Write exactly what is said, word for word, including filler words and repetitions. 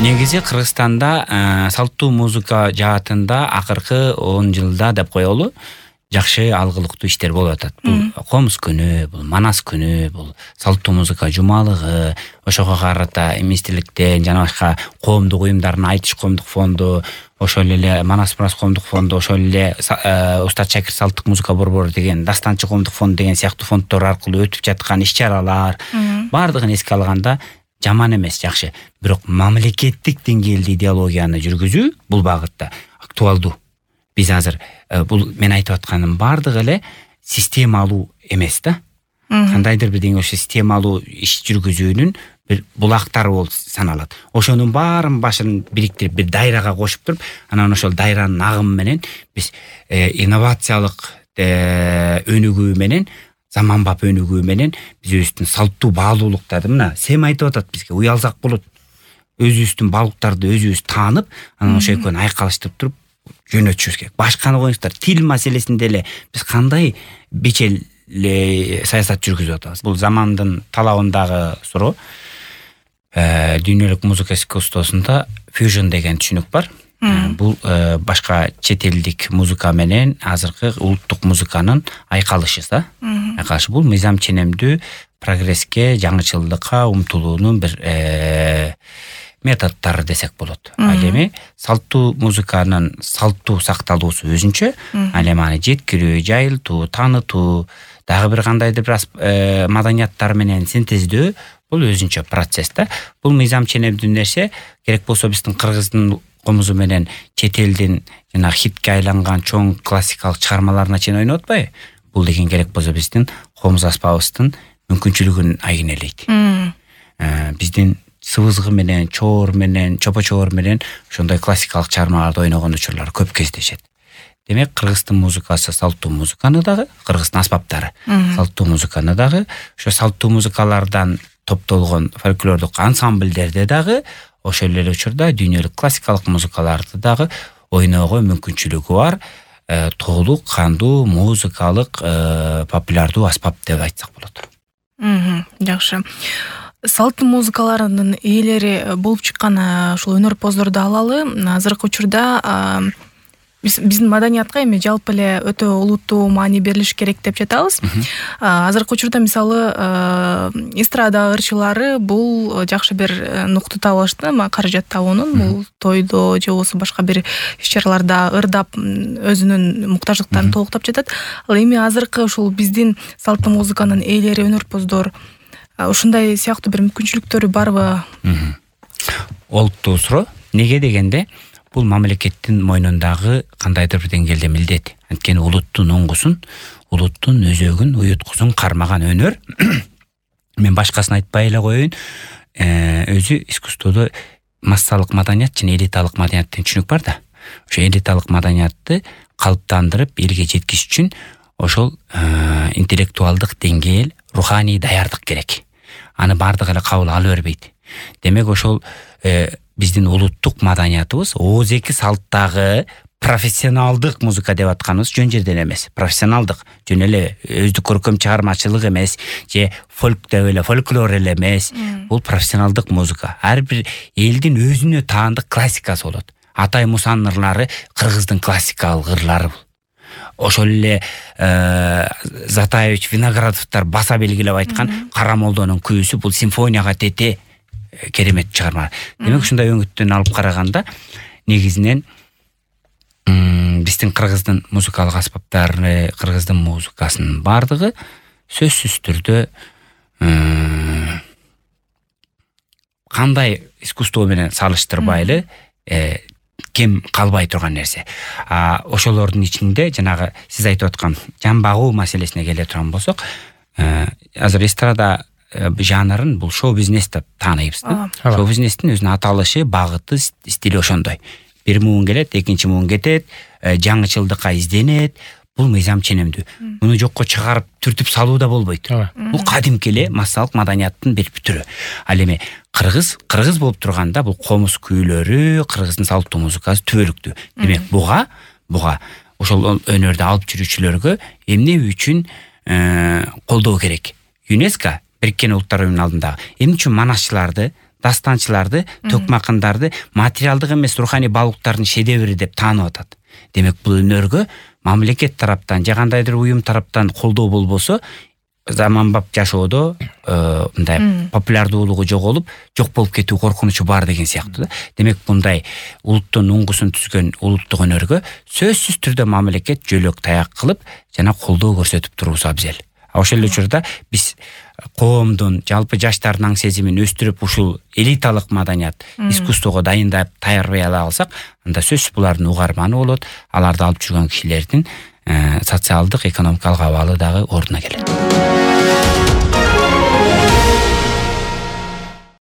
негизи Кыргызстанда салттуу музыка жаатында акыркы он жылда деп коелу жакшы алгылыктуу иштер болуп атат. Бул комуз күнү, бул манас күнү, бул салттуу музыка жумалыгы, ошого карата эместиктен жана башка коомдук уюмдардын айтыш коомдук фонду, ошол эле Манас Мурас коомдук фонду, ошол эле Устат Шакир салттык музыка борбору деген, Дастанчы коомдук фонду деген сыяктуу фонддор аркылуу өтүп жаткан иш-чаралар баардыгын эске алганда жаман эмес, жакшы. Бирок мамлекеттик деңгээлде идеологияны жүргүзүү бул багытта актуалдуу. Биз азыр бул мен айтып атканым баардыгы эле системалуу эмес да. Кандайдыр бир деңгээлде системалуу иш жүргүзүүнүн бир булактары болуп саналат. Ошонун баарын башын бириктирип бир дайрага кошуп туруп, анан ошол дайранын агымы менен биз инновациялык өнүгүү менен, заманбап өнүгүү менен өзүбүздүн салттуу баалуулуктарды мына Сем айтып атат бизге, уялсак болот. Өзүбүздүн баалуулуктарды өзүбүз таанып, анан ошо экөөнү айкалыштырып туруп жөнөтүшүбүз керек. Башканы коюңуздар, тил маселесинде эле биз кандай бечел саясат жүргүзүп атабыз. Бул замандын талабындагы суроо. Дүйнөлүк музыка искусствосунда fusion деген түшүнүк бар. Бул башка чет элдик музыка менен азыркы улуттук музыканын айкалышы да. Айкалышы бул мыйзам ченемдүү прогресске, жаңычылдыкка умтулуунун бир методдору десек болот. Ал эми салттуу музыканын салттуу сакталуусу өзүнчө, ал эми аны жеткирүү, жайылтуу, таанытуу, дагы бир кандайдыр бир маданияттар менен синтездөө бул өзүнчө процесс да. Бул мыйзам ченемдүү нерсе, керек болсо биздин кыргыздын комузу менен чет элдин жана хитке айланган чоң классикалык чыгармаларына чейин ойноп атпайбы? Бул деген керек болсо биздин комуз аспабыбыздын мүмкүнчүлүгүн айгинелейт. Биздин сыбызгы менен, чоор менен, чопо-чоор менен ошондой классикалык чыгармаларды ойногон учурлар көп кездешет. Демек, Кыргыздын музыкасы салттуу музыканы дагы, Кыргыздын аспаптары салттуу музыканы дагы, ошо салттуу музыкалардан топтолгон фольклордук ансамбльдерде дагы, ошол эле учурда дүйнөлүк классикалык музыкаларды дагы ойноого мүмкүнчүлүгү бар толук кандуу музыкалык популярдуу аспап деп айтсак болот. Жакшы. Салттуу музыкалардын ээлери болуп чыккан ушул өнөрпоздорду алалы. Азыркы учурда биздин маданиятка эми жалпы эле өтө улуттуу маани берилиш керек деп жатабыз. Азыркы учурда мисалы эстрада ырчылары бул жакшы бир нукту таап алышты, каражат табуунун, бул тойдо же болбосо башка бир иш-чараларда ырдап өзүнүн муктаждыктарын толуктап жатат. Ал эми азыркы ушул биздин салттуу музыканын ээлери, өнөрпоздор ушундай сыяктуу бир мүмкүнчүлүктөрү барбы? Олуттуу суроо. Неге дегенде, бул мамлекеттин мойнундагы кандайдыр бир деңгээлде милдет. Анткени улуттун оңгусун, улуттун өзөгүн, уюткусун кармаган өнөр. Мен башкасын айтпай эле коеюн. Өзү искусстводо массалык маданият жана элиталык маданият деген түшүнүк бар да. Ошо элиталык маданиятты калыптандырып элге жеткизиш үчүн ошол интеллектуалдык деңгээл, руханий даярдык керек. Аны бардыгы эле кабыл ала бербейт. Демек ошол биздин улуттук маданиятыбыз ооз эки салттагы профессионалдык музыка деп атканыбыз жөн жерден эмес. Профессионалдык, жөн эле өздүк көркөм чыгармачылык эмес, же фольк деп эле фольклор эле эмес. Бул профессионалдык музыка. Ар бир элдин өзүнө таандык классикасы болот. Атай Мусанын ырлары кыргыздын классикалык ырлары бул. Ошол эле Затаевич, Виноградовдор баса белгилеп айткан Кара молдонун күйүүсү бул симфонияга тете керемет чыгарма. Демек, ушундай өңүттөн алып караганда, негизинен биздин кыргыздын музыкалык аспаптары, кыргыздын музыкасынын бардыгы сөзсүз түрдө кандай искусство менен салыштырбайлы кем калбай турган нерсе. Ошолордун ичинде жанагы сиз айтып аткан жан багуу маселесине келе турган болсок, азыр эстрада жанрын бул шоу-бизнес деп тааныйбыз. Шоу-бизнестин өзүнүн аталышы, багыты, стили ошондой. Бир муун келет, экинчи муун кетет, жаңычылдыкка изденет. Бул мыйзам ченемдүү. Муну жокко чыгарып түртүп салуу да болбойт. Бул кадимки эле массалык маданияттын бир түрү. Ал эми кыргыз, кыргыз болуп турганда бул комуз күүлөрү, кыргыздын салттуу музыкасы түбөлүктүү. Демек, буга, буга ошол өнөрдү алып жүрүүчүлөргө эмне үчүн колдоо керек? ЮНЕСКО Бириккен Улуттар Уюмунун алдындагы эмне үчүн манасчыларды дастанчыларды, төкмакындарды материалдык эмес руханий баалуулуктардын шедеври деп таанып атат. Демек бул өнөргө мамлекет тараптан же кандайдыр уюм тараптан колдоо болбосо заманбап жашоодо мындай популярдуулугу жоголуп, жок болуп кетүү коркунучу бар деген сыяктуу да. Демек мындай улуттун уңгусун түзгөн улуттук өнөргө сөзсүз түрдө мамлекет жөлөк таяк кылып жана колдоо көрсөтүп турубусу абзел. Ошол эле учурда биз коомдун, жалпы жаштардын аң сезимин өстүрүп ушул элиталык маданият, искусствого дайындап таярбай алсак, анда сөзсүз булардын угарманы болот, аларды алып жүргөн кишилердин социалдык, экономикалык абалы дагы ордуна келет.